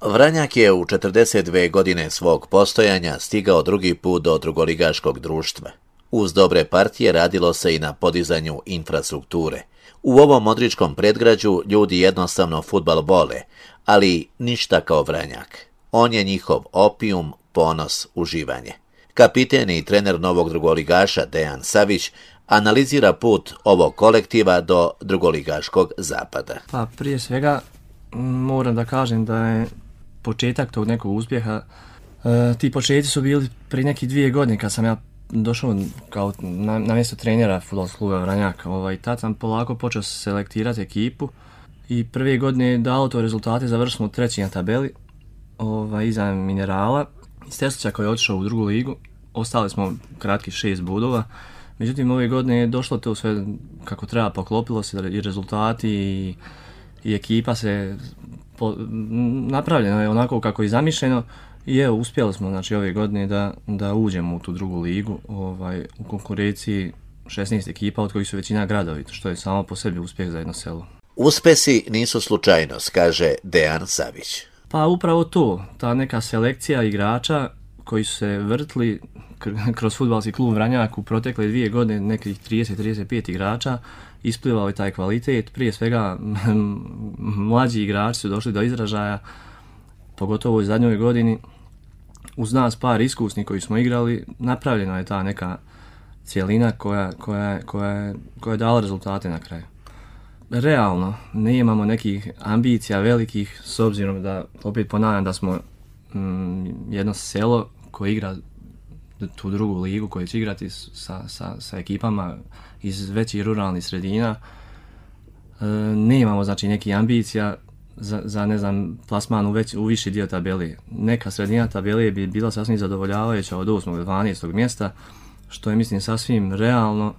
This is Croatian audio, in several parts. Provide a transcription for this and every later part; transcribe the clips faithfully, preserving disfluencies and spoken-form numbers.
Vranjak je u četrdeset dvije godine svog postojanja stigao drugi put do drugoligaškog društva. Uz dobre partije radilo se i na podizanju infrastrukture. U ovom modričkom predgrađu ljudi jednostavno fudbal vole, ali ništa kao Vranjak. On je njihov opijum, ponos, uživanje. Kapiten i trener novog drugoligaša Dejan Savić analizira put ovog kolektiva do drugoligaškog zapada. Pa prije svega moram da kažem da je početak tog nekog uspjeha, e, ti početci su bili prije nekih dvije godine kad sam ja došao kao na, na mjesto trenera fudbalskog kluba Vranjak. Ovaj, tad sam polako počeo selektirati ekipu i prve godine je dalo to rezultate, završili smo treći na tabeli, ovaj, iza Minerala. Iz Teslića koji je otišao u drugu ligu, ostali smo kratki šest bodova. Međutim, ove godine je došlo to sve kako treba, poklopilo se i rezultati i, i ekipa se po, napravljena je onako kako je zamišljeno i evo, uspjeli smo znači, ove godine da, da uđemo u tu drugu ligu ovaj, u konkurenciji šesnaest ekipa od kojih su većina gradovi, što je samo po sebi uspjeh za jedno selo. Uspjesi nisu slučajnost, kaže Dejan Savić. Pa upravo to, ta neka selekcija igrača koji su se vrtli kroz fudbalski klub Vranjak u protekle dvije godine, nekih trideset do trideset pet igrača, isplivao je taj kvalitet. Prije svega mlađi igrači su došli do izražaja, pogotovo u zadnjoj godini. Uz nas par iskusnih koji smo igrali, napravljena je ta neka cijelina koja, koja, koja, koja je dala rezultate na kraju. Realno, ne imamo nekih ambicija velikih, s obzirom da, opet ponavljam, da smo mm, jedno selo koje igra tu drugu ligu, koje će igrati sa, sa, sa ekipama iz većih ruralnih sredina. E, ne imamo znači nekih ambicija za, za ne znam, plasman u, već, u viši dio tabele. Neka sredina tabele bi bila sasvim zadovoljavajuća od osmog do dvanaestog mjesta, što je mislim sasvim realno.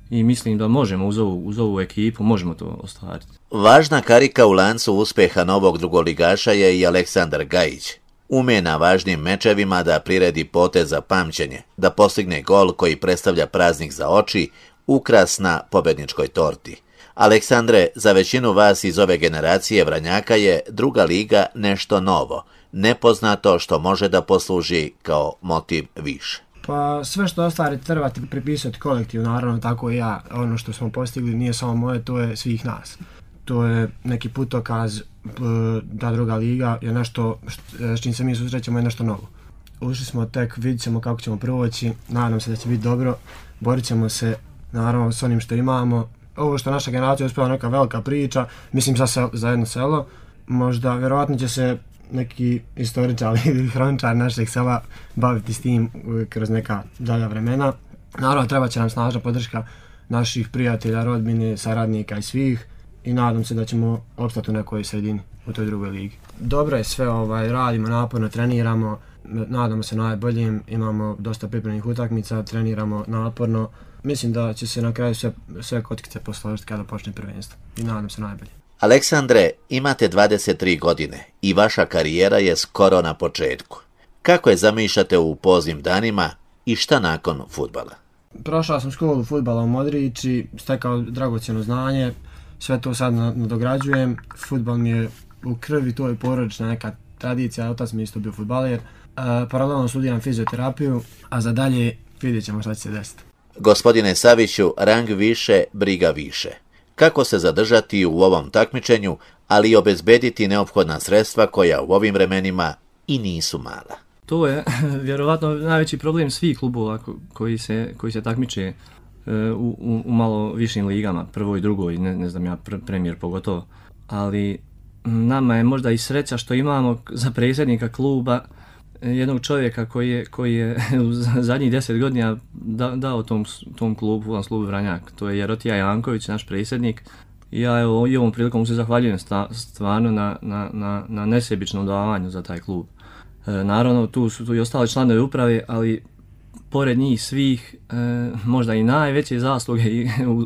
I mislim da možemo uz ovu, uz ovu ekipu, možemo to ostvariti. Važna karika u lancu uspjeha novog drugoligaša je i Aleksandar Gajić. Ume na važnim mečevima da priredi potez za pamćenje, da postigne gol koji predstavlja praznik za oči, ukras na pobedničkoj torti. Aleksandre, za većinu vas iz ove generacije Vranjaka je druga liga nešto novo, nepoznato što može da posluži kao motiv više. Pa sve što ostvari trebate pripisati kolektiv, naravno tako i ja. Ono što smo postigli nije samo moje, to je svih nas. To je neki putokaz, da druga liga je nešto s čim se mi susrećemo, je nešto novo. Ušli smo tek, vidit ćemo kako ćemo proći, nadam se da će biti dobro, borit ćemo se naravno s onim što imamo. Ovo što naša generacija uspjela neka velika priča, mislim za, se, za jedno selo, možda vjerovatno će se neki istoričar ili hroničar našeg sela baviti s tim kroz neka dalja vremena. Naravno, treba će nam snažna podrška naših prijatelja, rodbine, saradnika i svih i nadam se da ćemo opstati u nekoj sredini u toj drugoj ligi. Dobro je sve, ovaj, radimo naporno, treniramo, nadamo se najboljim, imamo dosta pripremnih utakmica, treniramo naporno. Mislim da će se na kraju sve, sve kockice posložiti kada počne prvenstvo i nadam se najbolje. Aleksandre, imate dvadeset tri godine i vaša karijera je skoro na početku. Kako je zamišljate u poznim danima i šta nakon fudbala? Prošao sam školu fudbala u Modriči, stekao dragocjeno znanje, sve to sad nadograđujem. Fudbal mi je u krvi, to je porodična neka tradicija, otac mi isto bio fudbaler. E, paralelno studiram fizioterapiju, a za dalje vidjet ćemo šta će se desiti. Gospodine Saviću, rang više, briga više. Kako se zadržati u ovom takmičenju, ali i obezbediti neophodna sredstva koja u ovim vremenima i nisu mala? To je vjerovatno najveći problem svih klubova koji se, koji se takmiče u, u, u malo višim ligama, prvoj i drugoj, ne, ne znam ja, pr, premijer pogotovo. Ali nama je možda i sreća što imamo za predsjednika kluba jednog čovjeka koji je, koji je u zadnjih deset godina da, dao tom, tom klubu, klubu Vranjak. To je Jerotija Janković, naš predsjednik. I ja evo, i ovom prilikom se zahvaljujem sta, stvarno na, na, na, na nesebičnom davanju za taj klub. E, naravno, tu su tu i ostali članovi uprave, ali pored njih svih, e, možda i najveće zasluge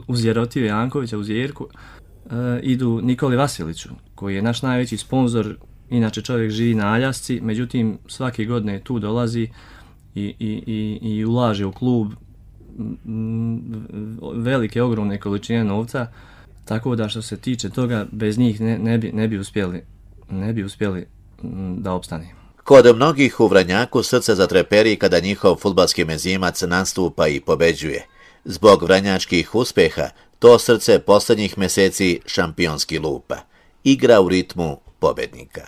uz Jerotiju Jankovića, uz Jerku, e, idu Nikoli Vasiliću, koji je naš najveći sponzor. Inače čovjek živi na Aljasci, međutim svake godine tu dolazi i, i, i, i ulaže u klub velike, ogromne količine novca, tako da što se tiče toga, bez njih ne, ne, bi, ne, bi, uspjeli, ne bi uspjeli da opstane. Kod mnogih u Vranjaku srce zatreperi kada njihov fudbalski mezimac nastupa i pobeđuje. Zbog vranjačkih uspjeha, to srce posljednjih mjeseci šampionski lupa. Igra u ritmu pobednika.